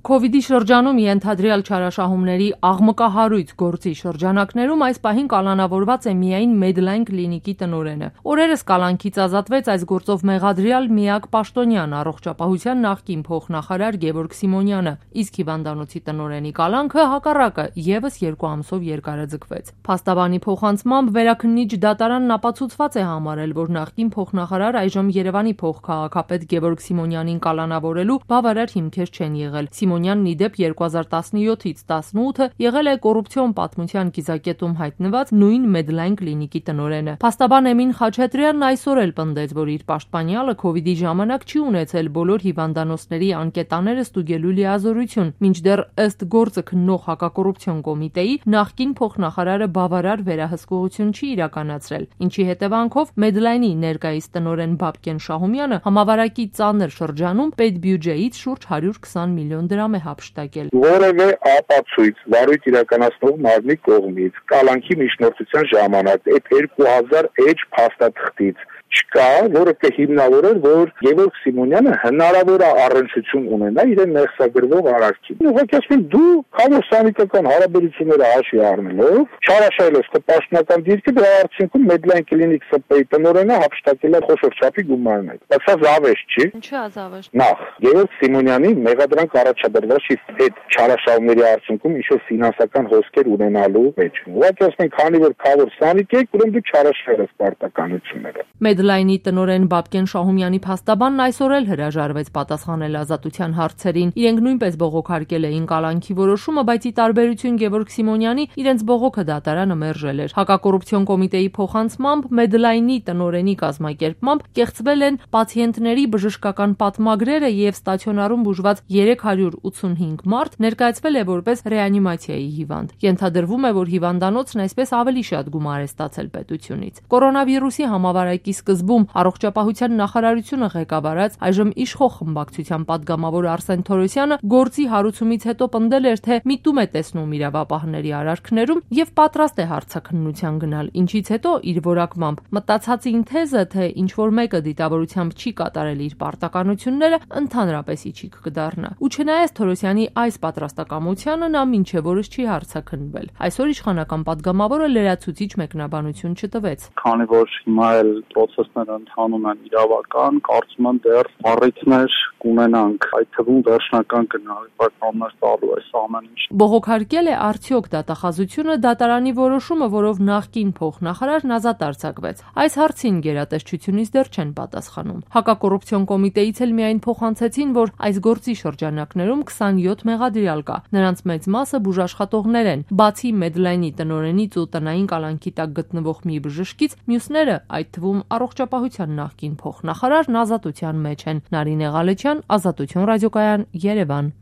Քովիդի շրջանում ենթադրյալ չարաշահումների աղմկահարույց գործի շրջանակներում այս պահին կալանավորված է միայն Medline կլինիկի տնօրենը։ Օրերս կալանքից ազատվեց այս գործով մեղադրյալ միակ պաշտոնյան առողջապահության նախկին փոխնախարար Գևորգ Սիմոնյանը, իսկ հիվանդանոցի տնօրենի կալանքը հակառակը եւս 2 ամսով երկարաձգվեց։ Փաստաբանի փոխանցմամբ վերաքննիչ դատարանն ապացուցված է համարել, որ նախկին փոխնախարար այժմ Երևանի փոխքաղաքապետ Գևորգ Սիմոնյանին կալանավորելու բավարար հիմքեր չեն եղել։ Սիմոնյանն իդեպ 2017-ից 18 եղել է կոռուպցիոն պատմության կիզակետում հայտնված նույն Medline կլինիկի տնօրենը։ Փաստաբան Էմին Խաչատրյանն այսօր էլ պնդեց, որ իր պաշտպանյալը Քովիդի ժամանակ չի ունեցել բոլոր հիվանդանոցների անկետաները ստուգելու լիազորություն, մինչդեռ ըստ գործը քննող հակակոռուպցիոն կոմիտեի նախկին փոխնախարարը բավարար վերահսկողություն չի իրականացրել, ինչի հետևանքով Medline-ի ներկայիս տնօրեն Բաբկեն Շահումյանը համավարակի ծանր շրջանում պետբյուջեից շուրջ 120 միլիոն դրամ է հափշտակել։ Որևէ ապացույց վարույթ իրականացնող մարմնի կողմից կալանքի միջնորդության ժամանակ այդ 2000 էջ փաստաթղթից չկա, որը կհիմնավորեր, որ Գևորգ Սիմոնյանը հնարավոր է առնչություն ունենա իրեն մեղսագրվող արարքին։ Ուղղակի ասում դու քաղաքական հարաբերությունները հաշվի առնելով չարաշահել ես պաշտոնական դիրքը, դրա արդյունքում Medline կլինիկ ՍՊ-ի տնօրենը հափշտակել է խոշոր չափի գումարներ։ Բայց սա զավեշտ չի։ Ինչու է զավեշտ։ Նախ Գևորգ Սիմոնյանի մեղադրանք առաջադրված այդ չարաշահումների արդյունքում ինչ-որ ֆինանսական հոսքեր ունենալու մեջ։ Ուղղակի ասում են, քանի որ քավոր սանիկ եք, ուրեմն դու չարաշահել ես պարտականությունները։ Medline-ի տնօրեն Բաբկեն Շահումյանի փաստաբանն այսօր էլ հրաժարվեց պատասխանել ազատության հարցերին։ Իրենք նույնպես բողոքարկել էին կալանքի որոշումը, բայց ի տարբերություն Գևորգ Սիմոնյանի իրենց բողոքը դատարանը մերժել էր։ Հակակոռուպցիոն կոմիտեի փոխանցմամբ Medline-ի տնօրենի կազմակերպմամբ կեղծվել են պացիենտների բժշկական պատմագրերը եւ ստացիոնարում բուժված 385 մարդ ներկայացվել է որպես ռեանիմացիայի հիվանդ։ Ենթադրվում է, որ հիվանդանոցն այսպես ավելի շատ գումար է ստացել պետությունից։ Կորոնավիրուսի համավարակի սկզբում առողջապահության նախարարությունը ղեկավարած այժմ իշխող խմբակցության падգամավոր Արսեն Թորոսյանը գործի հարուցումից հետո պնդել էր, թե միտում է տեսնում իրավապահների արարքներում եւ պատրաստ է հարցաքննության գնալ, ինչից հետո իր որակմամբ մտածածին թեզը, թե ինչ որ մեկը դիտավորությամբ չի կատարել իր պարտականությունները, ընդհանրապես իջիկ կդառնա։ Ու չնայած Թորոսյանի այս պատրաստակամությանը նա մինչև օրս չի հարցաքննվել։ Այսօր իշխանական падգամավորը լրացուցիչ մեկնաբանություն չտվեց։ Քանի որ հիմա էլ process-ները ընթանում են իրավական, կարծում եմ դեռ առիթներ կունենանք, այդ թվում վերջնական գնահատականներ տալու այս ամեն ինչ։ Բողոքարկել է արդյոք դատախազությունը դատարանի որոշումը, որով նախկին փոխնախարարն ազատ արձակվեց։ Այս հարցին գերատեսչությունից դեռ չեն պատասխանում։ Հակակոռուպցիոն կոմիտեից էլ միայն փոխանցեցին, որ այս գործի շրջանակներում 27 մեղադրյալ կա։ Նրանց մեծ մասը բուժաշխատողներ են։ Բացի Medline-ի տնօրենից ու տնային կալանքի տակ գտնվող մի բժշկից, մյուսները, այդ թվում առողջապահության նախկին փոխնախարարն ազատության մեջ են։ Նարինե Ղալեչյան, Ազատություն ռադիոկայան, Երևան։